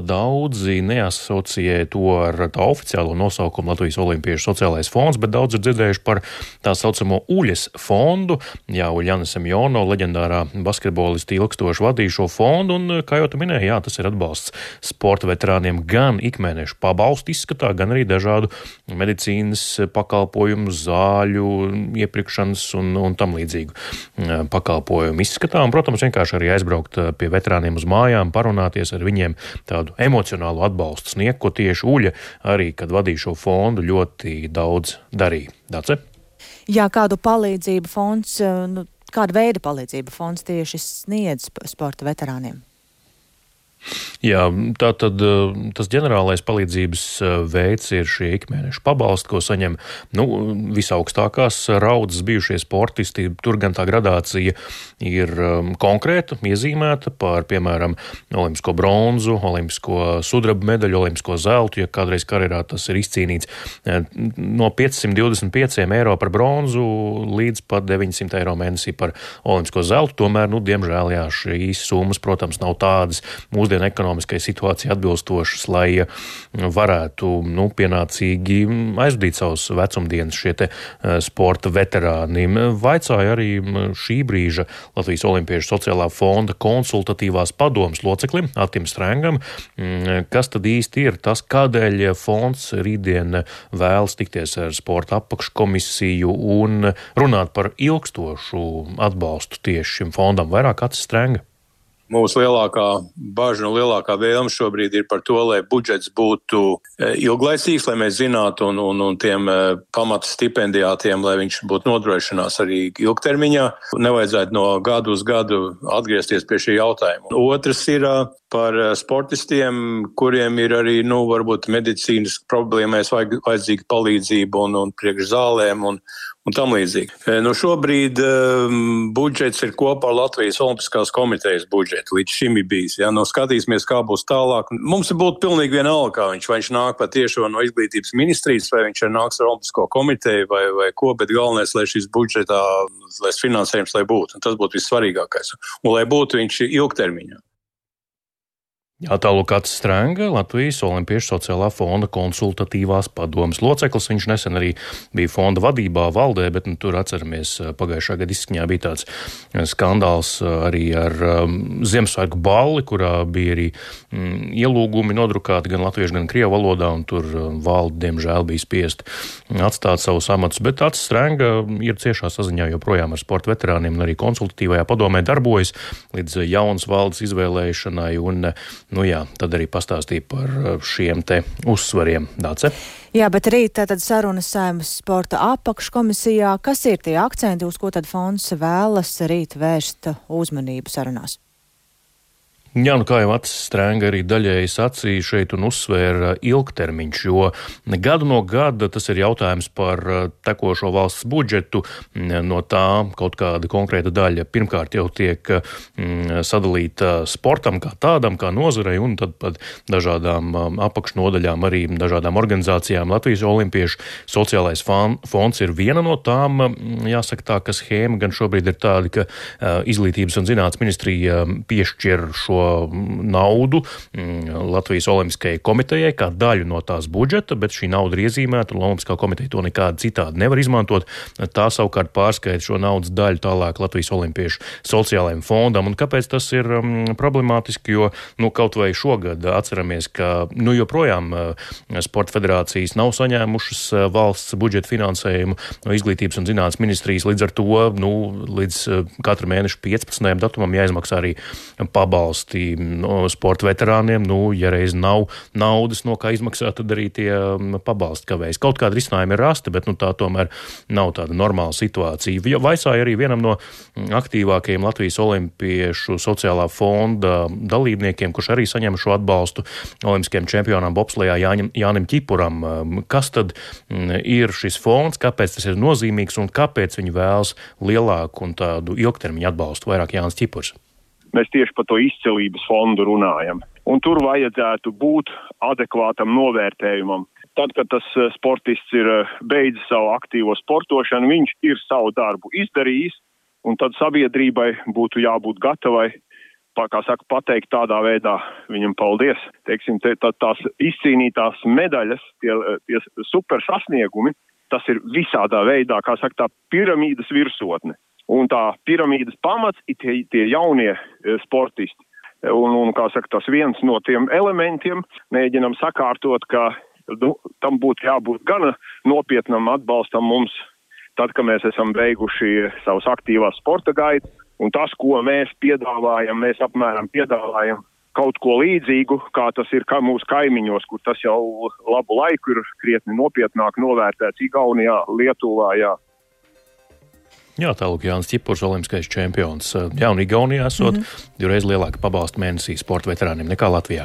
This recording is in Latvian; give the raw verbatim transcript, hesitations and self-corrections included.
Daudzi neasociē to ar tā oficiālo nosaukumu Latvijas Olimpiešu sociālais fonds, bet daudz ir dzirdējuši par tā saucamo Uļas fondu. Jā, Uļjana Semjono, leģendārā basketbolista, ilgstoši vadīja šo fondu, un, kā jau tu minēji, jā, tas ir atbalsts sporta veterāniem gan ikmēnešu pabalstu izskatā, gan arī dažādu medicīnas pakalpojumu, zāļu, iepirkšanas un, un tam līdzīgu pakalpojumu izskatā. Un, protams, vienkārši arī aizbraukt pie veterāniem uz mājām, parunāties ar viņiem, tādu emocionālu atbalstu sniegt, ko tieši Uļa arī, kad vadīja šo fondu, ļoti daudz darīja. Dace? Jā, kādu palīdzību fonds, nu, kāda veida palīdzību fonds tieši sniedz sporta veterāniem? Jā, tā tad tas ģenerālais palīdzības veids ir šie ikmēnešu pabalsti, ko saņem nu, visaugstākās raudzes bijušie sportisti. Tur gan tā gradācija ir konkrēta, iezīmēta par, piemēram, olimpisko bronzu, olimpisko sudraba medaļu, olimpisko zeltu, ja kādreiz karjerā tas ir izcīnīts no piecsimt divdesmit pieci eiro par bronzu līdz pat deviņsimt eiro mēnesī par olimpisko zeltu. Tomēr, nu, diemžēl, jā, šīs summas, protams, nav tādas mūsdienu ekonomiskai situācijai atbilstošas, lai varētu nu, pienācīgi aizvadīt savus vecumdienas šie te sporta veterāni. Vaicāja arī šī brīža Latvijas Olimpiešu sociālā fonda konsultatīvās padomes loceklim Atim Strengam, kas tad īsti ir tas, kādēļ fonds rītdien vēlas tikties ar sporta apakškomisiju un runāt par ilgstošu atbalstu tieši šim fondam. Vairāk Atis Strenga. Mūsu lielākā baža un lielākā vēlme šobrīd ir par to, lai budžets būtu ilglaicīgs, lai mēs zinātu un, un, un tiem pamata stipendijātiem, lai viņš būtu nodrošinās arī ilgtermiņā. Nevajadzētu no gadu uz gadu atgriezties pie šī jautājuma. Otrs ir par sportistiem, kuriem ir arī, nu, varbūt medicīnas problēmēs vajag, vajadzīga palīdzība un, un priekš zālēm un, un tam līdzīgi. Nu, šobrīd um, budžets ir kopā ar Latvijas Olimpiskās komitejas budžetu. Līdz šim ir bijis. Ja? Nu, skatīsimies, kā būs tālāk. Mums ir būtu pilnīgi vienalga, kā viņš, vai viņš nāk patiešo no izglītības ministrijas, vai viņš nāks ar Olimpisko komiteju, vai, vai ko, bet galvenais, lai šis budžetā, lai finansējums, lai būtu. Un tas būtu vissvarīgākais. Un lai būtu viņš ilgtermiņā. Jā, tālūk Atis Strenga, Latvijas Olimpiešu sociālā fonda konsultatīvās padomes loceklis. Viņš nesen arī bija fonda vadībā, valdē, bet nu, tur atceramies pagājušā gada izskaņā bija tāds skandāls arī ar um, Ziemassvētku balli, kurā bija arī um, ielūgumi nodrukāti gan latviešu, gan krievu valodā, un tur um, valde, diemžēl, bija spiest atstāt savus amatus. Bet Atis Strenga ir ciešā saziņā joprojām ar sporta veterāniem un arī konsultatīvajā padomē darbojas līdz jaunas valdes izvēlēšanai un nu jā, tad arī pastāstīja par šiem te uzsvariem. Dace? Jā, bet rīt tātad sarunas Saeimas sporta apakškomisijā. Kas ir tie akcenti, uz ko tad fonds vēlas rīt vērst uzmanību sarunās? Jā, nu kā jau Atis Strenga arī daļēji sacīja šeit un uzsvēra ilgtermiņš, jo gadu no gada tas ir jautājums par tekošo valsts budžetu, no tā kaut kāda konkrēta daļa pirmkārt jau tiek mm, sadalīta sportam kā tādam, kā nozarei, un tad pat dažādām apakšnodaļām, arī dažādām organizācijām. Latvijas Olimpiešu sociālais fonds ir viena no tām, jāsaka tā, ka schēma gan šobrīd ir tāda, ka izglītības un zinātnes ministrija piešķir šo naudu Latvijas Olimpiskajai komitejai kā daļu no tās budžeta, bet šī nauda ir iezīmēta, un Olimpiskā komiteja to nekādi citādi nevar izmantot. Tā savukārt pārskaita šo naudas daļu tālāk Latvijas Olimpiešu sociālajiem fondam. Un kāpēc tas ir um, problemātiski? Jo, nu, kaut vai šogad atceramies, ka, nu, joprojām uh, sporta federācijas nav saņēmušas uh, valsts budžeta finansējumu no izglītības un zinātnes ministrijas. Līdz ar to, nu, līdz uh, katra mēneša piecpadsmitajam datumam jāizmaksā arī pabalsti no sporta veterāniem. Nu, ja reiz nav naudas, no kā izmaksāt, tad arī tie pabalsti kavējas. Kaut kāda risinājuma ir rasta, bet nu, tā tomēr nav tāda normāla situācija. Vaicāja arī vienam no aktīvākajiem Latvijas Olimpiešu sociālā fonda dalībniekiem, kurš arī saņem šo atbalstu olimpiskajam čempionām bobslejā Jāņam, Jānim Ķipuram. Kas tad ir šis fonds, kāpēc tas ir nozīmīgs un kāpēc viņi vēlas lielāku un tādu ilgtermiņu atbalstu? Vairāk Jānis Ķipurs. Mēs tieši par to izcelības fondu runājam. Un tur vajadzētu būt adekvātam novērtējumam. Tad, kad tas sportists ir beidzis savu aktīvo sportošanu, viņš ir savu darbu izdarījis, un tad sabiedrībai būtu jābūt gatavai kā saka, pateikt tādā veidā viņam paldies. Teiksim, te, tā, tās izcīnītās medaļas, tie, tie super sasniegumi, tas ir visādā veidā, kā saka, tā piramīdas virsotne. Un tā piramīdas pamats ir tie, tie jaunie sportisti. Un, un, kā saka, tas viens no tiem elementiem, mēģinam sakārtot, ka nu, tam būtu jābūt gan nopietnam atbalstam mums, tad, kad mēs esam beiguši savas aktīvās sporta gaitas. Un tas, ko mēs piedāvājam, mēs apmēram piedāvājam kaut ko līdzīgu, kā tas ir kā mūsu kaimiņos, kur tas jau labu laiku ir krietni nopietnāk novērtēts Igaunijā, Lietuvā, jā. Jā, tālāk Jānis Ķipurs, olimpiskais čempions. Jā, un Igaunijā esot mm-hmm. divreiz lielāka pabalsta mēnesī sporta veterāniem nekā Latvijā.